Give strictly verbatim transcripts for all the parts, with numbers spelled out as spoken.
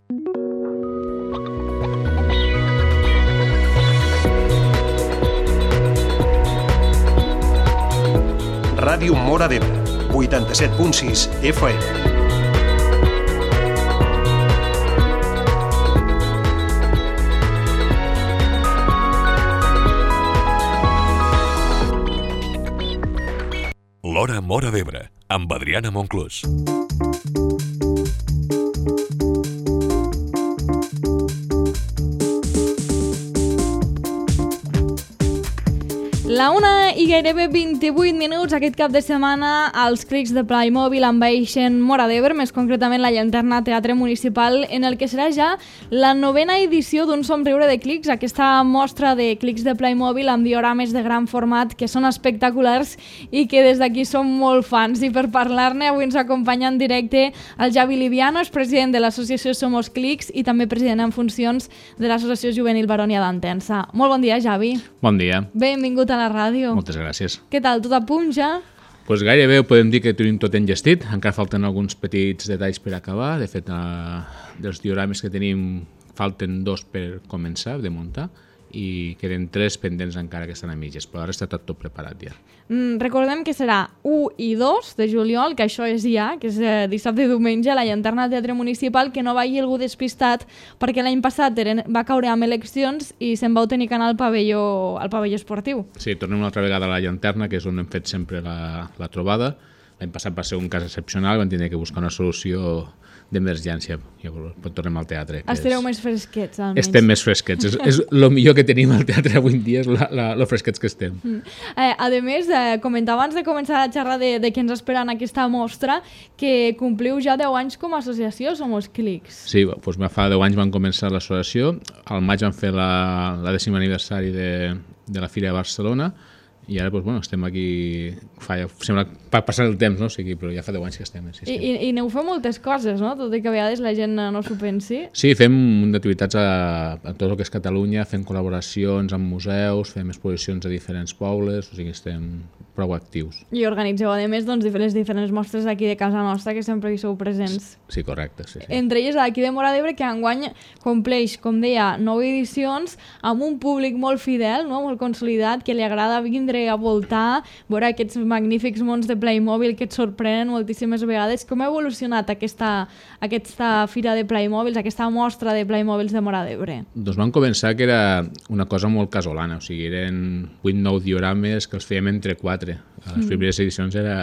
Ràdio Móra d'Ebre, vuitanta-set punt sis F M. L'Hora Móra d'Ebre, amb Adriana Monclús. La una i gairebé vint-i-vuit minuts aquest cap de setmana els clics de Playmobil envaeixen Móra d'Ebre, més concretament la llanterna Teatre Municipal, en el que serà ja la novena edició d'un somriure de clics, aquesta mostra de clics de Playmobil amb diorames de gran format que són espectaculars i que des d'aquí som molt fans. I per parlar-ne avui ens acompanya en directe el Javi Liviano, és president de l'associació Somos Clics i també president en funcions de l'associació juvenil Baronia d'Entença. Molt bon dia, Javi. Bon dia. Benvingut a la ràdio. Moltes gràcies. Què tal? Tot a punt ja? Pues gairebé podem dir que tenim tot enllestit. Encara falten alguns petits detalls per acabar. De fet, eh, dels diorames que tenim falten dos per començar de muntar i queden tres pendents encara que estan a mitges, però ara està tot, tot preparat ja. Mm, recordem que serà u i dos de juliol, que això és ja, que és eh, dissabte i diumenge, a la llanterna del Teatre Municipal, que no vagi algú despistat, perquè l'any passat eren, va caure amb eleccions i se'n vau tenir que anar al pavelló, al pavelló esportiu. Sí, tornem una altra vegada a la llanterna, que és on hem fet sempre la, la trobada. L'any passat va ser un cas excepcional, vam tenir que buscar una solució d'emergència. Llavors tornem al teatre. Estareu és... més fresquets, almenys. Estem més fresquets. és, és el millor que tenim al teatre avui en dia, és la, la, lo fresquets que estem. Mm. Eh, a més, eh, comentava abans de començar la xerrada de, de què ens espera en aquesta mostra, que compliu ja deu anys com a associació Somos Clics. Sí, doncs fa deu anys van començar l'associació, al maig van fer la, la dècim aniversari de, de la Fira de Barcelona, i ara, doncs, bueno, estem aquí, fa, sembla pa passar el temps, no? O sigui, però ja fa deu anys que estem. Sí, sí. I, i, I aneu fent moltes coses, no? Tot i que a vegades la gent no s'ho pensi. Sí, fem un d'activitats a, a tot el que és Catalunya, fem col·laboracions amb museus, fem exposicions a diferents pobles, o sigui, estem prou actius. I organitzeu, a més, doncs, les diferents mostres d'aquí de casa nostra, que sempre hi sou presents. Sí, correcte. Sí, sí. Entre elles, aquí de Móra d'Ebre, que enguany compleix, com deia, nou edicions, amb un públic molt fidel, no? Molt consolidat, que li agrada vindre a voltar, veure aquests magnífics mons de Playmobil que et sorprenen moltíssimes vegades. Com ha evolucionat aquesta, aquesta fira de Playmobils, aquesta mostra de Playmobils de Móra d'Ebre? Doncs vam començar que era una cosa molt casolana, o sigui, eren vuit nou diorames que els fèiem entre quatre. A les primeres edicions era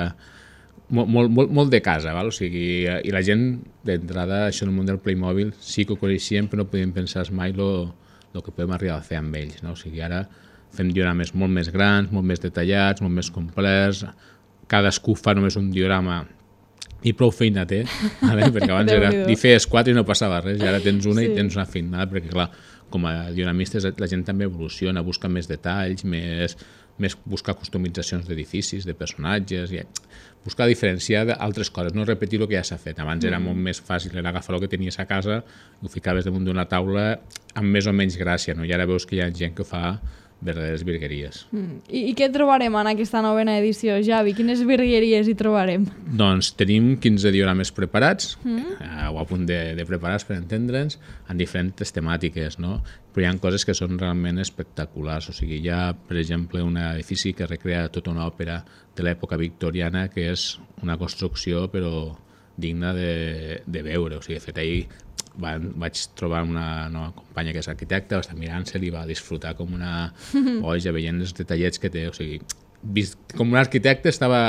molt, molt, molt, molt de casa, val? O sigui, i la gent d'entrada, això en el món del Playmobil, sí que ho coneixíem, però no podíem pensar mai el que podem arribar a fer amb ells, no? O sigui, ara fem diorames molt més grans, molt més detallats, molt més complets, cadascú fa només un diorama i prou feina té, vale? Perquè abans era, hi feies quatre i no passava res, i ara tens una sí. I tens una feinada, perquè clar, com a dionamistes la gent també evoluciona, busca més detalls, més, més buscar customitzacions d'edificis, de personatges, i buscar diferenciar d'altres coses, no repetir el que ja s'ha fet. Abans era molt més fàcil, era agafar el que tenies a casa, ho ficaves damunt d'una taula amb més o menys gràcia, no? I ara veus que hi ha gent que fa verdaderes virgueries. Mm. I, I què trobarem en aquesta novena edició, Javi? Quines virgueries hi trobarem? Doncs tenim quinze diorames preparats, mm. eh, o a punt de, de preparats per entendre'ns, en diferents temàtiques, no? Però hi ha coses que són realment espectaculars. O sigui, hi ha, per exemple, un edifici que recrea tota una òpera de l'època victoriana, que és una construcció, però digna de, de veure. O sigui, de fet, ahir van, vaig trobar una nova companya que és arquitecta, va estar mirant-se-li i va disfrutar com una boja veient els detallets que té. O sigui, vist, com un arquitecte estava,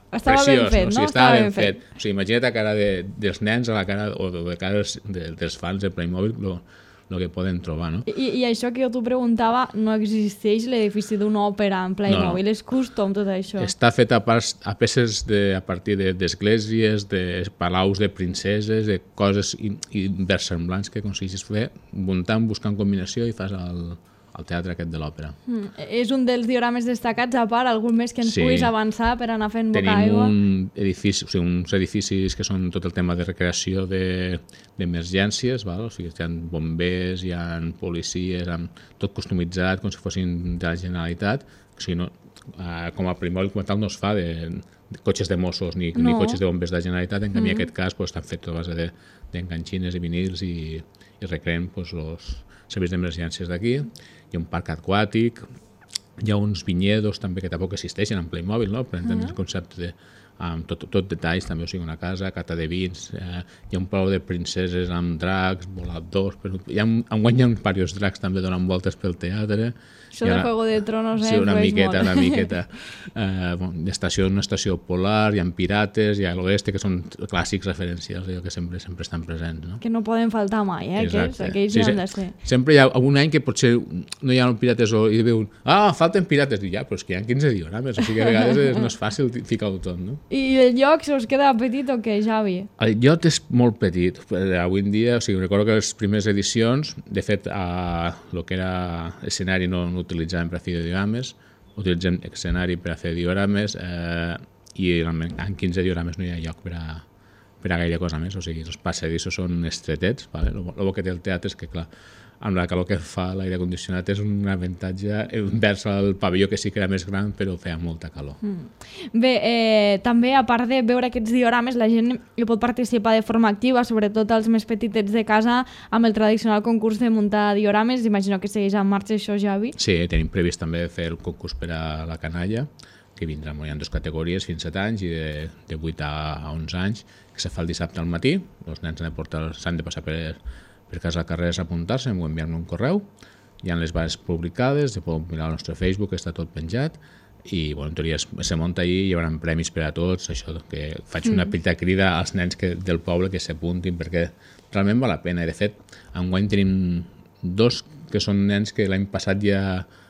estava preciós, ben fet, no? O sigui, no? estava, estava ben fet. fet. O sigui, imagina't la cara de, dels nens a la cara, o de cara dels, de, dels fans de Playmobil, lo, el que poden trobar, no? I, I això que jo t'ho preguntava, no existeix l'edifici d'una òpera en Playmobil, no, no. És custom tot això. Està fet a, pas, a peces de, a partir d'esglésies, de, de palaus de princeses, de coses inversemblants que aconsegueixes fer, muntant, buscant combinació i fas el, el teatre aquest de l'òpera. Mm. És un dels diorames destacats, a part, algun més que ens sí. puguis avançar per anar fent boca Tenim aigua? un edifici, o sigui, uns edificis que són tot el tema de recreació d'emergències, de, o sigui, hi ha bombers, hi ha policies, amb tot customitzat com si fossin de la Generalitat. O sigui, no, eh, com a Playmobil com a tal no es fa de, cotxes de Mossos ni, No. ni cotxes de bombers de la Generalitat, en canvi Mm. en aquest cas pues, estan fets a base de- d'enganxines i vinils i, i recreen pues, els serveis d'emergències d'aquí. Hi ha un parc aquàtic, hi ha uns vinyedos també que tampoc existeixen en Playmobil, no? Per entendre el concepte de amb tot, tot detalls, també, o sigui, una casa, cata de vins, eh, hi ha un palau de princeses amb dracs, voladors, però hi ha, enguany hi ha diversos dracs també donant voltes pel teatre. Això Hi ha de una- Juego de Tronos, eh? Sí, una influeix miqueta, molt. una miqueta. Eh, bueno, estació, una estació polar, hi ha pirates, hi ha l'oeste, que són clàssics referencials, allò que sempre sempre estan presents, no? Que no poden faltar mai, eh? Aquells, Exacte. aquells Sí, hi han sí. de ser. Sempre hi ha algun any que potser no hi ha pirates o hi veu, ah, falten pirates, i ja, però és que hi ha quinze diorames, o sigui que a vegades és, no és fàcil ficar-ho tot, no? I el lloc se us queda petit o què, Javi? El lloc és molt petit. Eh, Avui en dia, o sigui, recordo que les primeres edicions, de fet, a el que era escenari no, no utilitzàvem per a fer diorames, utilitzem escenari per a fer diorames eh, i realment en quinze diorames no hi ha lloc per a, per a gaire cosa més, o sigui, els passadissos són estretets, vale? El, el que té el teatre és que, clar, amb la calor que fa l'aire condicionat és un avantatge envers el pavelló, que sí que era més gran, però feia molta calor. Mm. Bé, eh, també, a part de veure aquests diorames, la gent hi pot participar de forma activa, sobretot els més petitets de casa, amb el tradicional concurs de muntar diorames. Imagino que segueix en marxa això, Javi. Sí, tenim previst també fer el concurs per a la canalla, que vindrà, hi ha dues categories, fins a set anys i de, de vuit a onze anys, que se fa el dissabte al matí. Els nens han de, portar, s'han de passar per, per casa carrers a apuntar-se, o enviar-me un correu. Hi ha les bases publicades, se poden mirar al nostre Facebook, està tot penjat, i bueno, en teoria es, se munta allí, hi haurà premis per a tots, això que faig una petita crida als nens que, del poble que s'apuntin, perquè realment val la pena. I de fet, enguany tenim dos que són nens que l'any passat ja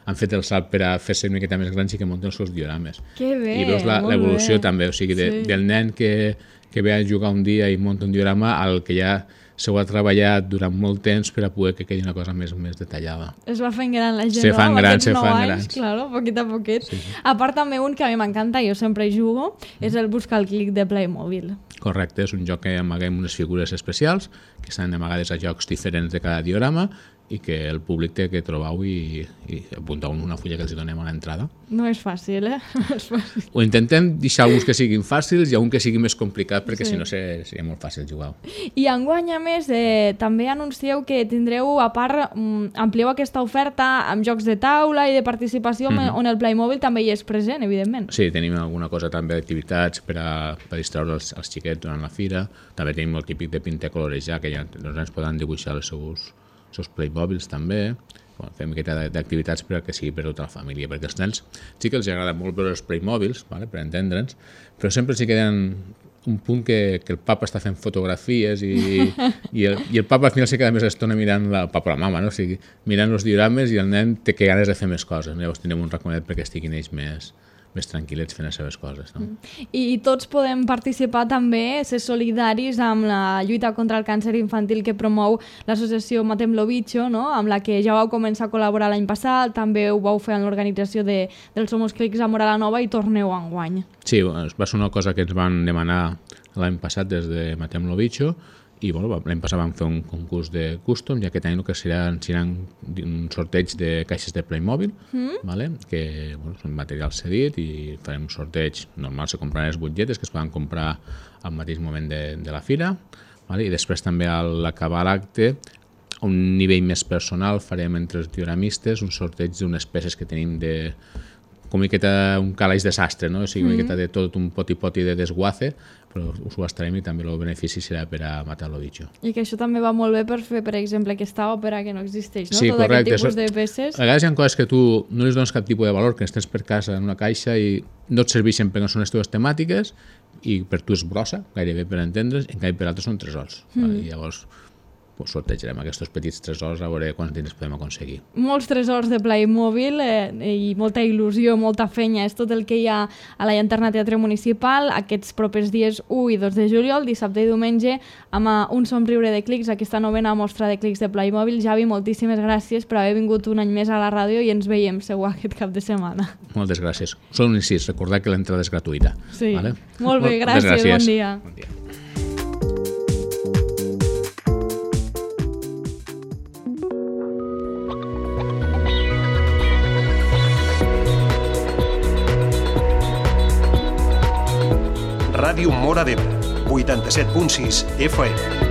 han fet el salt per a fer-se una miqueta més grans i que munten els seus diorames. Que bé, I veus la- molt l'evolució bé. també, o sigui, de, Sí. del nen que, que ve a jugar un dia i munta un diorama al que ja s'ho ha treballat durant molt temps per a poder que quedi una cosa més, més detallada. Es va fent gran la gent, Se no? fan Amb grans, aquests se nou fan anys, grans. Claro, poquet a poquet. Sí, sí. A part també un que a mi m'encanta, jo sempre hi jugo, és el buscar el clic de Playmobil. Correcte, és un joc que amaguem unes figures especials que estan amagades a jocs diferents de cada diorama i que el públic té que trobar-ho i, i apuntar una fulla que els donem a l'entrada. No és fàcil, eh? No és fàcil. Ho intentem deixar alguns que siguin fàcils i un que sigui més complicat perquè Sí. si no ser- seria molt fàcil jugar-ho. I enguany, a més, eh, també anuncieu que tindreu, a part, mm, amplieu aquesta oferta amb jocs de taula i de participació mm -hmm. on el Playmobil també hi és present, evidentment. Sí, tenim alguna cosa també d'activitats per a, per a distraure els, els xiquets durant la fira. També tenim el típic de pintar colorejar, que ja els nens poden dibuixar els seus, els seus Playmobils també. Bueno, fem una miqueta d'activitats per a que sigui per a tota la família, perquè als nens sí que els agrada molt veure els Playmobils, vale, per entendre'ns, però sempre sí que tenen un punt que, que el papa està fent fotografies i, i, el, i el papa al final se queda més estona mirant la, el papa o la mama, no? O sigui, mirant els diorames i el nen té que ganes de fer més coses. No? Llavors tenim un recomanet perquè estiguin ells més, més tranquil·lets fent les seves coses. No? I, I tots podem participar també, ser solidaris amb la lluita contra el càncer infantil que promou l'associació Matem lo Bicho, no? Amb la que ja vau començar a col·laborar l'any passat, també ho vau fer en l'organització de, dels Somos Clics a Mora la Nova i torneu enguany. Sí, va ser una cosa que ens van demanar l'any passat des de Matem lo Bicho i bueno, l'any passat vam fer un concurs de custom i aquest any el que seran, seran un sorteig de caixes de Playmobil, mm. vale? Que bueno, són material cedit i farem un sorteig normal, se compraran les butlletes que es poden comprar al mateix moment de, de la fira, vale? I després també a l'acabar l'acte a un nivell més personal farem entre els dioramistes un sorteig d'unes peces que tenim de com una miqueta un calaix de sastre, no? O sigui, una miqueta de tot un poti-poti de desguace, però us ho estarem i també el benefici serà per a Matar lo Bicho. I que això també va molt bé per fer, per exemple, aquesta òpera que no existeix, no? Sí, Tot correcte. aquest tipus Això- de peces. A vegades hi ha coses que tu no li dones cap tipus de valor, que les tens per casa en una caixa i no et serveixen perquè no són les teves temàtiques i per tu és brossa, gairebé per entendre's, en canvi per altres són tresors. Mm. Vale? I llavors pues, sortejarem aquests petits tresors a veure quants diners podem aconseguir. Molts tresors de Playmobil eh, i molta il·lusió, molta fenya. És tot el que hi ha a la Llanterna Teatre Municipal aquests propers dies u i dos de juliol, dissabte i diumenge, amb eh, un somriure de clics, aquesta novena mostra de clics de Playmobil. Javi, moltíssimes gràcies per haver vingut un any més a la ràdio i ens veiem segur aquest cap de setmana. Moltes gràcies. Són un incís, recordar que l'entrada és gratuïta. Sí. Vale? Molt bé, Moltes gràcies, gràcies. bon dia. Bon dia. Ràdio Móra d'Ebre, vuitanta-set punt sis F M.